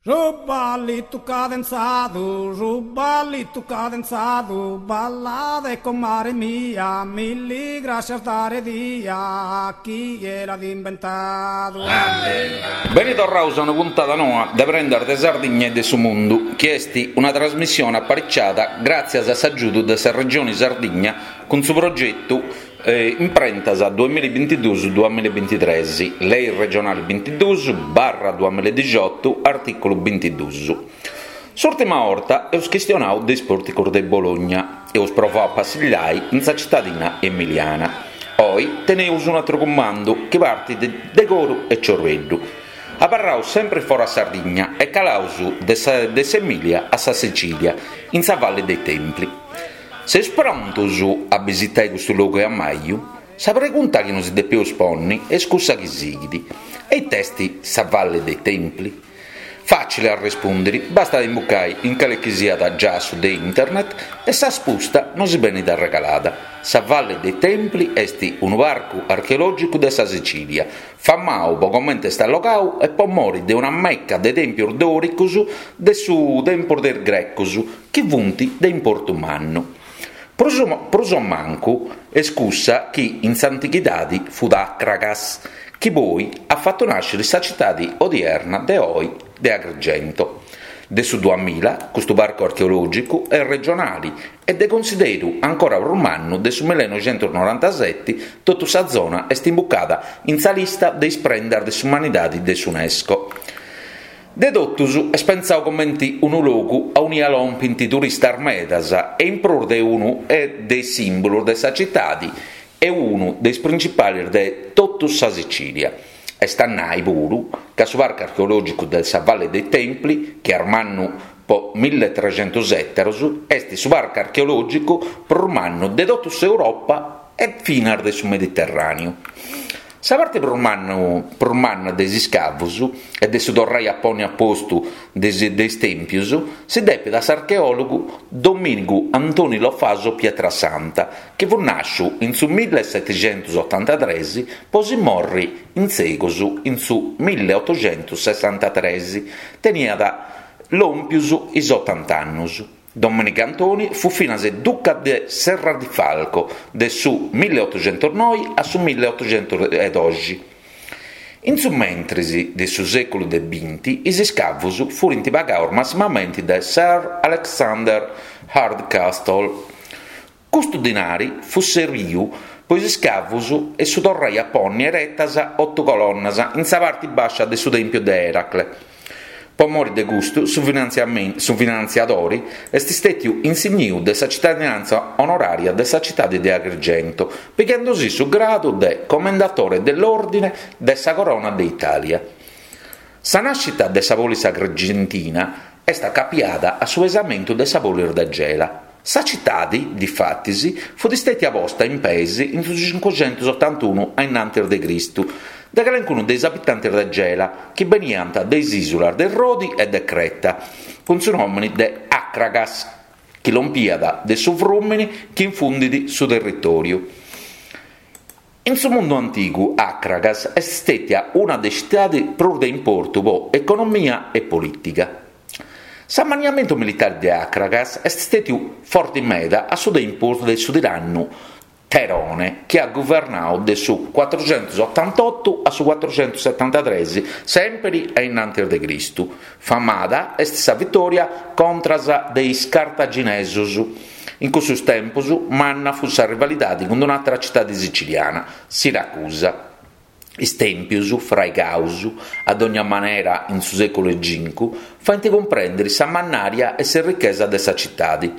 Su ballitu cadenzadu, su ballitu cadenzadu, ballade comare mia, milli grascias dare dia, chie l'at imbentadu. Beni torraus a una puntada noa de Prendas de Sardigna e de su Mundu, chi est una trasmissione apariciada gràtzias a s'agiudu de sa Regioni Sardigna cun su progetu Imprentas duamillabintiduus duamillabintitres, Lei regionali bintiduus barra duamilladixiotu, artìculu bintiduus. S'ùrtima 'orta eus chistionau de is pòrticus de Bologna, eus provau a passillai in sa citadina emiliana. Oi teneus un'atru cumandu chi partit de coru e ciorbeddu. Abarraus sempri fora Sardigna e calaus de s'Emilia a sa Sicilia, in sa Valle dei Templi. Seus prontus a bisitai custu logu 'e ammaju? Sa pregunta chi nosi depeus ponni est cussa chi sighit, e ita est sa Valle dei Templi? Fàcili a arrespùndiri, bastat a imbucai in cale chi siat giassu de internet e sa spusta nosi benit arregalada. Sa Valle dei Templi est unu parcu archeològicu de sa Sicìlia, famau po comente est allogau e po mori de una meca de tèmpius dòricus de su tempus de is grecus chi funt de importu mannu. Prus prus o mancu est cussa chi in s'antighidadi fut Acragas, chi poi at fatu nàsciri sa citadi odierna de oi de Agrigento. De su duamilla custu parcu archeològicu est regionali e de consideru ancora prus mannu de su millenoixentusnorantaseti totu sa zona est imbucada in sa lista de is prendas de s'umanidadi de s'Unesco. De totus est pentzau comenti unu logu aunia lompint turistas medas e in prus de unu de is simbulus de sa citadi e unu de is principalis de totu sa Sicilia. Est a nai puru ca su parcu archeològicu de sa Valle dei Templi, chi est mannu po milletregentus ètaros, est su parcu archeològicu prus mannu de totu s'Europa e finas de su Mediterràneu. Sa parti prus mannu prus manna de is iscavus e de su torrai a ponni a postu de is tèmpius si depit a s'archeòlogu Domìnigu Antoni Lo Faso Pietrasanta, chi fut nàsciu in su millesetixentusotantatres po si morri in segus in su milleotoxentussessantatres, teniat lòmpius is otant'annus. Domìnigu Antoni fut finas duca de Serradifalco de su milleotoxentusnoi a su milleotoxentusdoxi. In su mentris de su sèculu de binti is iscavus furint pagaus massimamenti de Sir Alexander Hardcastle. Custu dinari fut serbiu po is iscavus e su torrai a ponni eretas otu colonnas in sa parti bàscia de su tèmpiu de Eracle. Po mori de custu su finantziadori est stètiu insigniu de sa citadinàntzia onorària de sa citadi de Agrigento, pighendusì su gradu de Commendatore dell'Ordine de sa Corona de Itàlia. Sa nàscita de sa polis agrigentina est acapiada a su pesamentu de sa polis de Gela. Sa citadi, difatis, fut stètia posta in peis in su cincuxentusotantunu a innantis de Cristu de calencunu de is abitantis de Gela chi beniant de is ìsulas de Rodi e de Creta, cun su nòmini de Acragas, chi lompiat de su frùmini chi infundit su territòriu. In su mundu antigu Acragas est stètia una de is citadis prus de importu po economia e polìtiga. S'amanniamentu militari de Acragas est stètiu forti meda a su tempus de su tirannu Terone chi at guvernau de su cuatruxentusotantotu a su cuatruxentusetantatres sèmpiri a innantis de Cristu. Famada est sa vitòria contras de is Cartaginesus. In cussus tempus manna fut sa rivalidadi cun un'àtera citadi siciliana, Siracusa. Is tèmpius, fraigaus a dogna manera in su sèculu 'e cincu, faint cumprèndiri sa mannària e s'errichesa de sa citadi.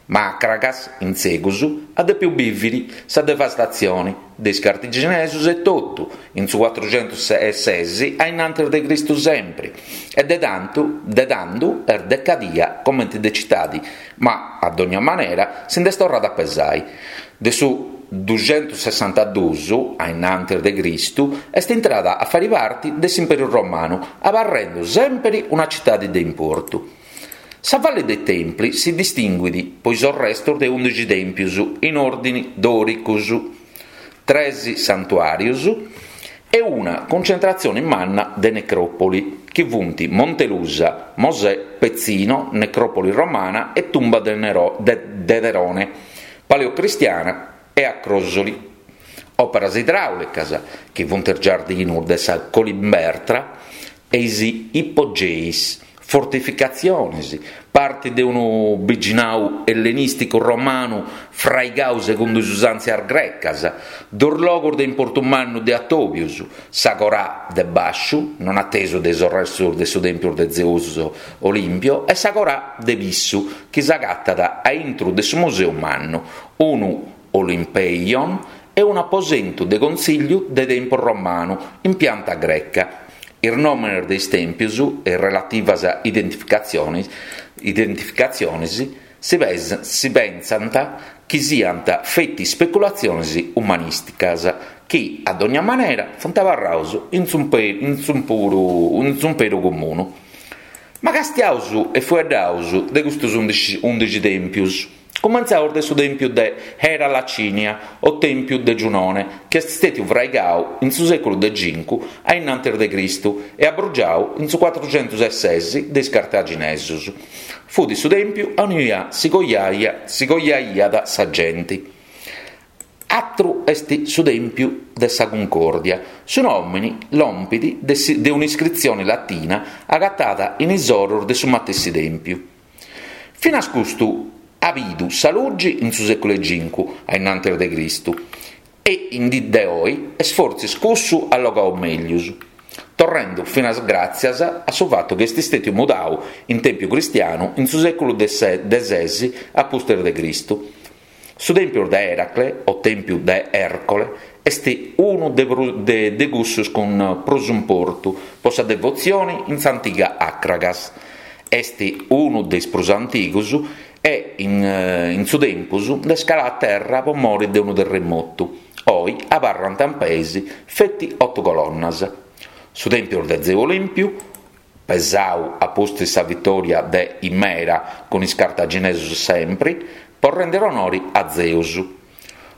Ma Acragas, in segus, at dèpiu bìviri sa devastatzioni de is cartaginesus etotu, in su cuatruxentus e ses a innantis de Cristu sempri, e de tantu de tandu est decadia comenti de citadi, ma a dogna manera si nd'est torrada a pesai. De su duxentussessantadus a innantis de Cristu est intrada a fari parti de s'Imperu Romanu, abarrendu sempri una citadi de importu. Sa Valle dei Templi si distinguit po is orrestus de undixi tèmpius in òrdini dòricus, tres santuàrius e una cuncentratzioni manna de necròpoli, chi funt Montelusa. Mosè Pezzino, necròpoli romana e tumba de de Terone, paleocristiana e Acrosoli. Òperas idràulicas, chi funt is giardinus de sa Kolimbertra e is ipogeis, fortificatziones, parti de unu biginau ellenìsticu romanu fraigau segundu is usàntzias grecas, duus logus de importu mannu de atòbius, s'Agorà de Bàsciu, non atesu de is orrestus de su tèmpiu de Zeus Olìmpio, e s'Agorà de Pissu, chi s'agatat a intru de su Museu Mannu, unu Olimpeion e un'aposentu de contzìlliu de tempus romanu in pianta greca. Is nòmenes de is tèmpios e is relativas identificatziones si pensant chi siant feti ispeculatziones umanìsticas chi, a dogna manera, funt abarrados in s'umperu comunu. Ma castiaus e fueddaus de custos ùndixi tèmpios. Cumentzaus de su tèmpiu de Hera Lacinia o tèmpiu de Giunone, chi est stètiu fraigau in su sèculu de cincu a innantis de Cristu e abrugiau in su cuatruxentus e ses de is Cartaginesus. Fut su tèmpiu aunia si coiaiat sa genti. Atru est su tèmpiu de sa Cuncòrdia. Su nòmini lompit de un'iscritzioni latina agatada in is orus de su matessi tèmpiu. Finas custu at bidu sa lugi in su sèculu 'e cincu a innantis de Cristu e in dì de oi est fortzis cussu allogau meglius, torrendu finas gràtzias a su fatu chi est stètiu mudau in tèmpiu cristianu in su sèculu de ses a pustis de Cristu. Su tèmpiu de Eracle o tèmpiu de Ercole est unu de cussus cun prus importu po sa devotzioni in s'antiga Akragas. Est unu de is prus antigus e in su tempus nd'est caladu a terra po mori de unu terremotu. Oi abarrant in peis feti otu colonnas. Su tèmpiu de Zeu Olìmpiu, pesau a pustis sa vitòria de Imera cun is cartaginesus sempri po rèndiri onori a Zeus.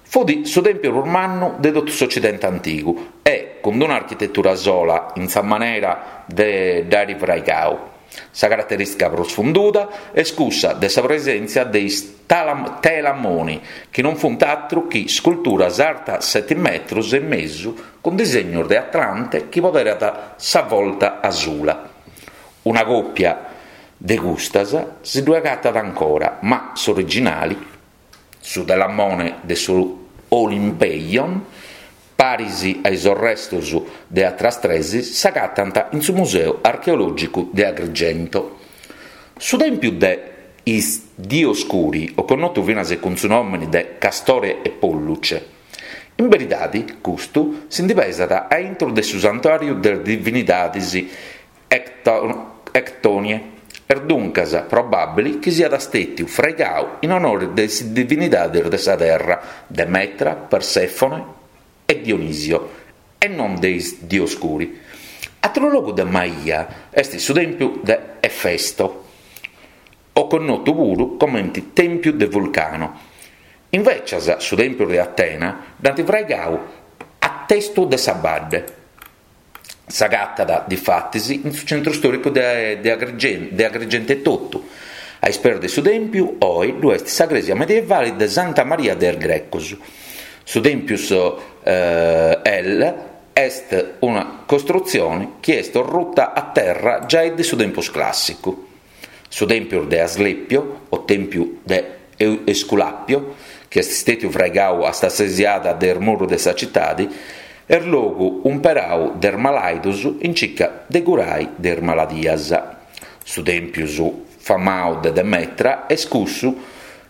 Fut su tèmpiu prus mannu de totu s'Ocidente antigu e cun d'una architetura sola in sa manera de dd'àiri fraigau. Sa caraterìstica prus funduda est cussa de sa presèntzia de is telamoni, chi non funt atru chi sculturas artas seti metrus e mesu cun disegnus de Atlante chi poderat sa volta asula. Una còpia de custas si ddue agatat ancora, ma s'originali, su telamone de su Olimpeion, paris a is orrestos de atras tres, s'agatant in su Museu Archeològicu de Agrigento. Su tèmpiu de is Dioscuri, o connotu finas cun su nòmene de Castore e Polluce. In beridadi, custu si ndi pesat a intro de su santuàriu de is divinidadis Ectonie, est duncas probàbili chi siat stètiu fraigau in onori de is divinidadis de sa terra, Demetra, Persèfone e Dionisio, e non de is Dioscuri. Atru logu de maia est su tèmpiu de Efesto, o connotu puru comenti Tèmpiu de Vulcano. Invècias su tèmpiu de Atena dd'ant fraigau a testu de sa badde. S'agatat, difatis, in su centru stòricu de Agrigento etotu. A is peis de su tèmpiu, oi, ddu est sa crèsia medievali de Santa Maria de is Grecos. Su tèmpius El est una costrutzioni chi est orruta a terra giai de su tempus clàssicu. Su tèmpiu de Asclepio, o tèmpiu de Esculapio, chi est stètiu fraigau a sa stesiada de is murus de sa citadi, est logu umperau de is malaidus in circa de curai de is maladias. Su tèmpius famau de Demetra est cussu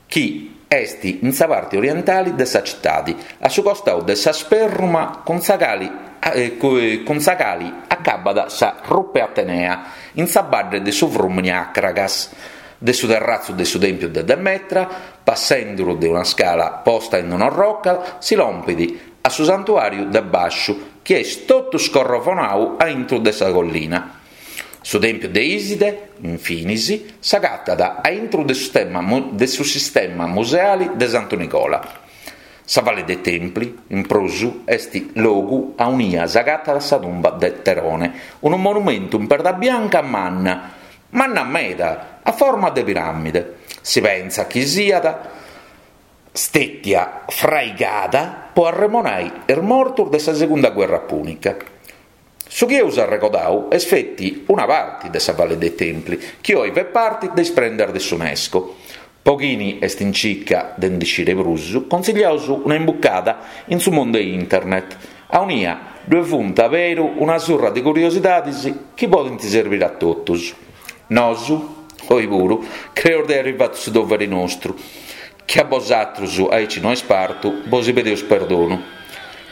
chi est in sa parti orientali de sa citadi, a su costau de sa sperruma cun sa cali cun sa cali acabat sa Rupe Atenea, in sa badde de su frùmini Acragas. De su terratzu de su tèmpiu de Demetra, passenduru de una scala posta in un'orroca, si lompit a su santuàriu de bàsciu, chi est totu scorrovonau a intru de sa collina. Su tèmpiu de Iside, infinis, s'agatat a intru de de su sistema museali de Santu Nigola. Sa Valle dei Templi, in prus, est logu aunia s'agatat sa tumba de Terone, unu monumentu in perda bianca manna. Manna meda, a forma de piràmide. Si pentzat chi siat stètia fraigada po arremonai is mortus de sa segunda guerra pùnica. Su chi eus arregodau est feti una parti de sa Valle dei Templi, chi oi fait parti de is prendas de s'Unesco. Po chini est in cica de ndi sciri prus, consigliaus una imbucada in su mundu 'e internet, aunia ddue funt aberu una surra de curiosidadis chi podint serbiri a totus. Nosu, oi puru, creus de airi fatu su doveri nostru. Chi a bosatrus aici no est partu, bosi pedeus perdonu.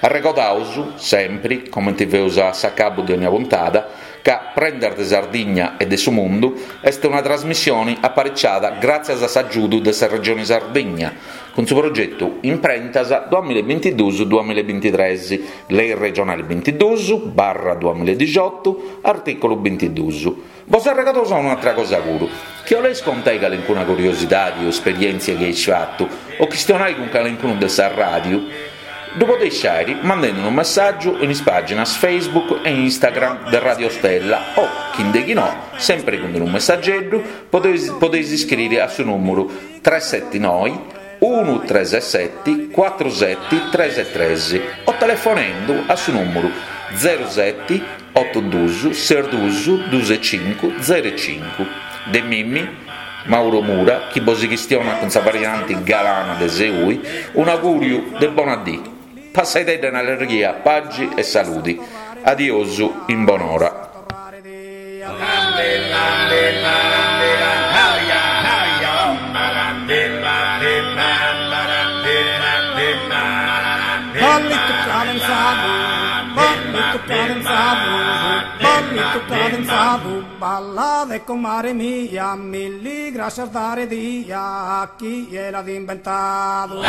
Arregodaus, sempri, comenti feus a s'acabu de ogna puntada, ca Prendas de Sardigna e de su Mundu est una trasmissioni apariciada gràtzias a s'agiudu de sa Regioni Sardigna, cun su progetu Imprentas duamilla e bintiduus duamilla e bintitres, Lei regionali bintiduus barra duamilla e dixiotu, artìculu bintiduus. Bos arregodaus un'atra cosa puru, chi 'oleis contai calincuna curiosidadi o esperièntzia chi eis fatu o chistionai cun calincunu de sa ràdiu, ddu podeis fàiri mandendi unu messàgiu in is pàginas Facebook e Instagram de Radio Stella o, chi nde chi no, sempri cun unu messageddu, podeis podeis iscriri a su nùmuru tres seti noi unu tres seti cuatru seti tres tres o telefonendu a su nùmuru zeru seti Otu dus, ses dus, dus e cincu, zeru e cincu. De mimmi, Mauro Mura, chi bosi chistionat cun sa varianti galana de Seui, un'augùriu de bona dì. Passaidedda in allerghia, pagi e saludi. Adiosu in bonora. Ballade comare mia, milli grascias dare dia a chie l'at imbentadu.